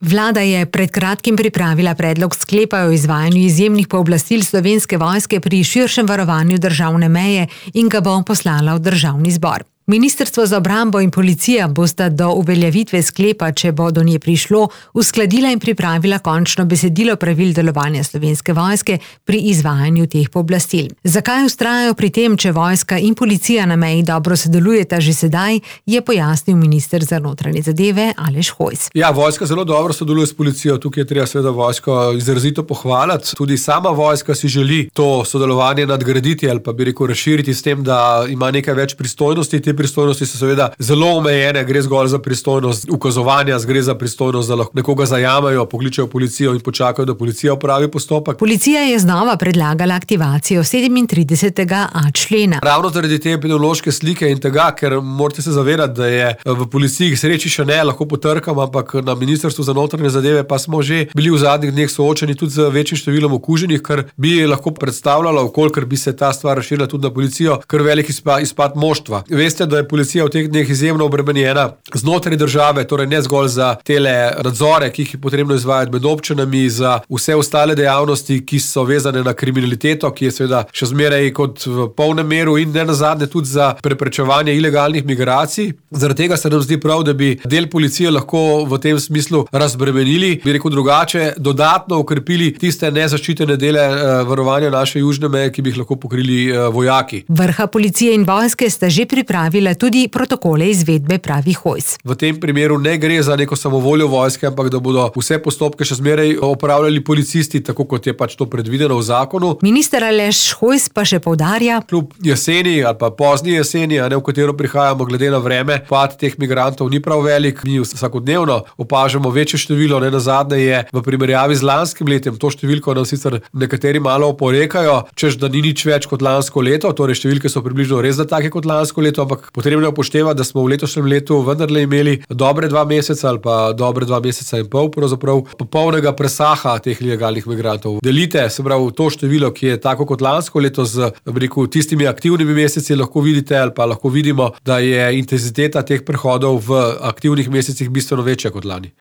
Vlada je pred kratkim pripravila predlog sklepa o izvajanju izjemnih pooblastil Slovenske vojske pri širšem varovanju državne meje in ga bo poslala v Državni zbor. Ministrstvo za obrambo in policija bosta do uveljavitve sklepa, če bo do nje prišlo, uskladila in pripravila končno besedilo pravil delovanja Slovenske vojske pri izvajanju teh pooblastil. Zakaj vztrajajo pri tem, če vojska in policija na meji dobro sodelujeta že sedaj, je pojasnil minister za notranje zadeve Aleš Hojs. Ja, vojska zelo dobro sodeluje s policijo, tukaj je treba seveda vojsko izrazito pohvaliti. Tudi sama vojska si želi to sodelovanje nadgraditi ali pa bi rekel razširiti s tem, da ima nekaj več pristojnosti. Te pristojnosti so seveda zelo omejene, gre zgolj za pristojnost ukazovanja, gre za pristojnost, da lahko nekoga zajamejo, pokličejo policijo in počakajo, da policija opravi postopek. Policija je znova predlagala aktivacijo 37.a člena. Ravno zaradi te epidemiološke slike in tega, ker morate se zavedati, da je v policiji k sreči še ne, lahko potrkam, ampak na Ministrstvu za notranje zadeve pa smo že bili v zadnjih dneh soočeni tudi z večjim številom okuženih, kar bi lahko predstavljalo, kolikor bi se ta stvar razširila tudi na policijo, kar velik izpad moštva. Veste, da je policija v teh dneh izjemno obremenjena znotraj države, torej ne zgolj za tele nadzore, ki jih je potrebno izvajati med občinami, za vse ostale dejavnosti, ki so vezane na kriminaliteto, ki je seveda še zmeraj kot v polnem meru in ne nazadnje tudi za preprečevanje ilegalnih migracij. Zaradi tega se nam zdi prav, da bi del policije lahko v tem smislu razbremenili, bi rekel drugače, dodatno ukrepili tiste nezaščitene dele varovanja naše južne meje, ki bi jih lahko pokrili vojaki. Vrha policije in vojske sta že pripravila tudi protokole izvedbe, pravi Hojs. V tem primeru ne gre za neko samovoljo vojske, ampak da bodo vse postopke še zmeraj opravljali policisti, tako kot je pač to predvideno v zakonu. Minister Aleš Hojs pa še poudarja: kljub jeseni ali pa pozni jeseni, v katero prihajamo glede na vreme, pad teh migrantov ni prav velik. Mi vsakodnevno opažamo večje število, ne nazadnje je v primerjavi z lanskim letem to številko nam sicer nekateri malo oporekajo, češ da ni nič več kot lansko leto, torej številke so približno res take kot lansko leto, ampak potrebno je upoštevati, da smo v letošnjem letu vendarle imeli dobre 2 meseca ali pa dobre 2 meseca in pol pravzaprav popolnega presaha teh ilegalnih migrantov. Delite, se pravi, to število, ki je tako kot lansko leto z tistimi aktivnimi meseci, lahko vidite ali pa lahko vidimo, da je intenziteta teh prehodov v aktivnih mesecih bistveno večja kot lani.